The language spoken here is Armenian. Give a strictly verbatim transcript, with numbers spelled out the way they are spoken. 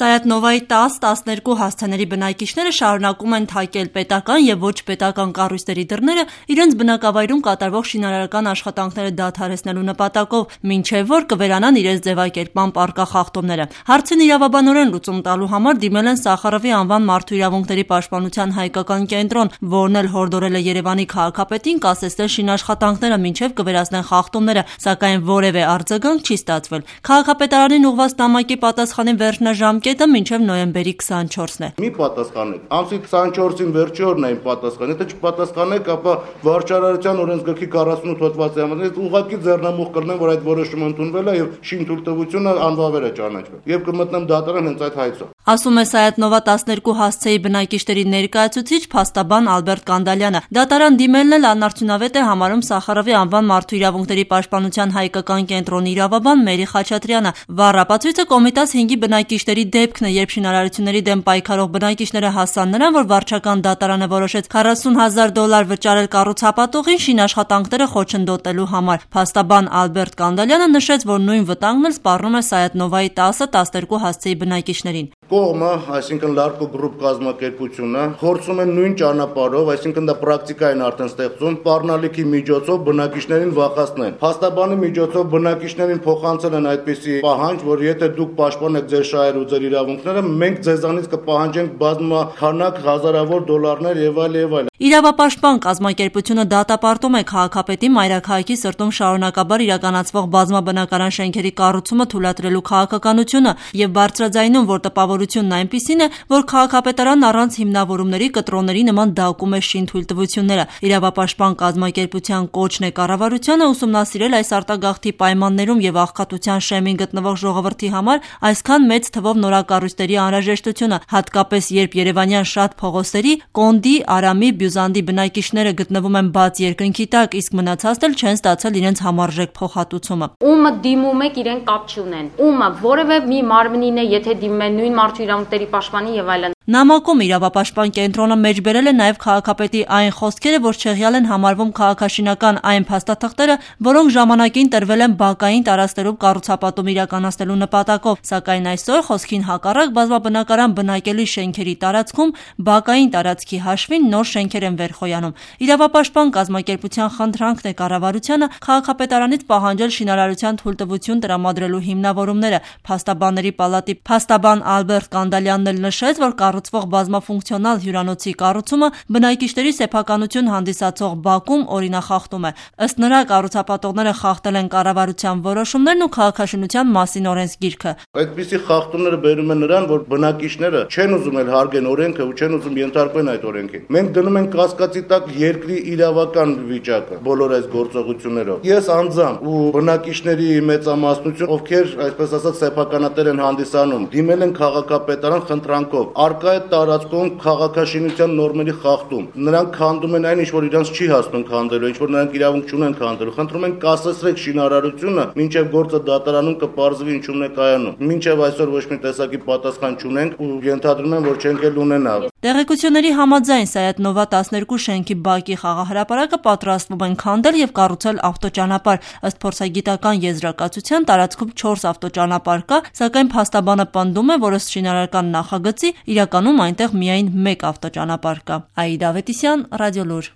Սայաթ Նովայի տաս տասներկու հասցեների բնակիչները շարունակում են թակել պետական և ոչ պետական կառույցների դռները իրենց բնակավայրում կատարվող շինարարական աշխատանքները դադարեցնելու նպատակով, մինչև որ կվերանան իրենց ձևակերպման պառկա խախտումները։ Հարցին իրավաբանորեն լուծում տալու համար դիմել են Սախարովի անվան մարդու իրավունքների պաշտպանության հայկական կենտրոն, որն էլ հորդորել է Երևանի քաղաքապետին կասեցնել շինաշխատանքները, մինչև կվերացնեն խախտումները, սակայն որևէ արձագանք չի ստացվել։ Քաղաքապետարանին ուղղված նամակի պատասխանի վերջնաժամկետը մինչև նոյեմբերի քսանչորսն է։ Մի պատասխանեք, ամսի քսանչորսին վերջի օրն էին պատասխան, եթե չպատասխանեք, ապա վարչարարության օրենսգրքի քառասունութ հոդվածի համաձայն ուղղակի ձեռնամուխ կրնեմ, որ այդ որոշումը ընդունվել է եւ շինթույլտվությունը անվավեր է ճանաչվել։ Եվ կմտնեմ դատարան հենց այդ հայցով։ Ասում է Սայաթ Նովա տասներկու հասցեի բնակիչների ներկայացուցիչ փաստաբան Ալբերտ Կանդալյանը։ Դատարան դիմելն էլ անարդյունավետ է համարում Սախարովի անվան մարդու իրավունքների պաշտպանության հայկական կենտրոնի իրավաբան Մերի Խաչատրյանը։ Վառ ապացույցը Կոմիտաս հինգի բնակիչների դեպքն է, երբ շինարարությունների դեմ պայքարող բնակիչները հասան նրան, որ վարչական դատարանը որոշեց քառասուն հազար դոլար վճարել կառուցապատողին շինաշխատանքները խոչընդոտելու համար։ Փաստաբան Ալբերտ Կանդալյանը նշեց, որ նույն վտանգն էլ սպառնում է Սայաթ Նովայի տասը տասներկու հասցեի բնակիչներին։ Կողմը, այսինքն Լարկո գրուպ կազմակերպությունը, փորձում են նույն ճանապարհով, այսինքն դա պրակտիկային արդեն ստեղծում, սպառնալիքի միջոցով բնակիչներին վախեցնեն։ Փաստաբանի միջոցով բնակիչներին փոխանցել են այդպիսի պահանջ, որ եթե դուք պաշտպանեք ձեր շահերը ու ձեր իրավունքները, մենք ձեզանից կպահանջենք բազմաքանակ հազարավոր դոլարներ եւ այլ եւ այլ։ Իրավապաշտպան կազմակերպությունը դատապարտում է քաղաքապետի մայրաքաղաքի սրտում շարունակաբար իրականացվող բազմաբնակարան շենքերի կառուցումը թույլատրելու քաղաքականությունը եւ բարձրաձայնում, որ տպավորությունն այնպիսին է, որ քաղաքապետարանն առանց հիմնավորումների կտրոնների նման դակում է շինթույլտվությունները։ Իրավապաշտպան կազմակերպության կոչն է կառավարությանը ուսումնասիրել այս արտագաղթի պայմաններում եւ աղքատության շեմին գտնվող ժողովրդի համար այսքան մեծ թվով նորակառույցների անհրաժեշտությունը, հատկապես երբ երևանյան շատ փողոցների Կոնդի, Արամի, Բյուզանդի բնակիչները գտնվում են բաց երկնքի տակ, իսկ մնացածն էլ չեն ստացել իրենց համարժեք փոխհատուցումը։ Ումը դիմում եք, իրեն կապ չունեն։ Ումը որևէ մի մարմնին է, եթե դիմում են նույն մարդու իրավունքների պաշտպանի եւ այլն։ Նամակում իրավապաշտպան կենտրոնը մեջբերել է նաև քաղաքապետի այն խոսքերը, որ չեղյալ են համարվում քաղաքաշինական այն փաստաթղթերը, որոնք ժամանակին տրվել են բակային տարածքներում կառուցապատում իրականացնելու նպատակով, սակայն այսօր խոսքին հակառակ բազմաբնակարան բնակելի շենքերի տարածքում բակային տարածքի հաշվին նոր շենքեր են վերխոյանում։ Իրավապաշտպան կազմակերպության խնդրանքն է կառավարությանը քաղաքապետարանից պահանջել շինարարության թույլտվություն տրամադրելու հիմնավորումները։ Փաստաբանների պալատի փաստաբան Ալբերտ Կանդալյանն էլ նշեց, որ կառուցվող բազմաֆունկցիոնալ հյուրանոցի կառուցումը բնակիչների սեփականություն հանդիսացող բակում օրինախախտում է։ Ըստ նրա, կառուցապատողները խախտել են կառավարության որոշումներն ու քաղաքաշինության մասին օրենսգիրքը։ Այդպիսի խախտումները բերում են նրան, որ բնակիչները չեն ուզում էլ հարգեն օրենքը ու չեն ուզում ենթարկվեն այդ օրենքին։ Մենք դնում ենք կասկածի տակ երկրի իրավական վիճակը բոլոր այս գործողություններով։ Ես անձամբ ու բնակիչների մեծամասնություն, ովքեր այսպես ասած սեփականատեր են հանդիսանում, դիմել են քաղաքապետարան խնդրանքով։ Արկա է տարածքում քաղաքաշինության նորմերի խախտում։ Նրանք քանդում են այն, ինչ որ իրանց չի հասնում քանդելու, ինչ որ նրանք իրավունք չունեն քանդելու։ Խնդրում են կասեցրեք շինարարությունը, մինչև գործը դատարանում կպարզվի ինչումն է կայանում։ Մինչև այսօր ոչ մի տեսակի պատասխան չունենք ու ենթադրում եմ, որ չենք էլ ունենա։ Տեղեկությունների համաձայն Սայաթ Նովա տասներկու շենքի բակի խաղահրապարակը պատրաստվում են քանդել եւ կառուցել ավտոճանապարհ։ Ըստ փորձագիտական եզրակացության տարածքում չորս ավտոճանապարհ կա, սակայն փաստաբանը պնդում է, որ ըստ շինարարական նախագծի իրականում այնտեղ միայն մեկ ավտոճանապարհ կա։ Աիդա Ավետիսյան, Ռադիոլուր։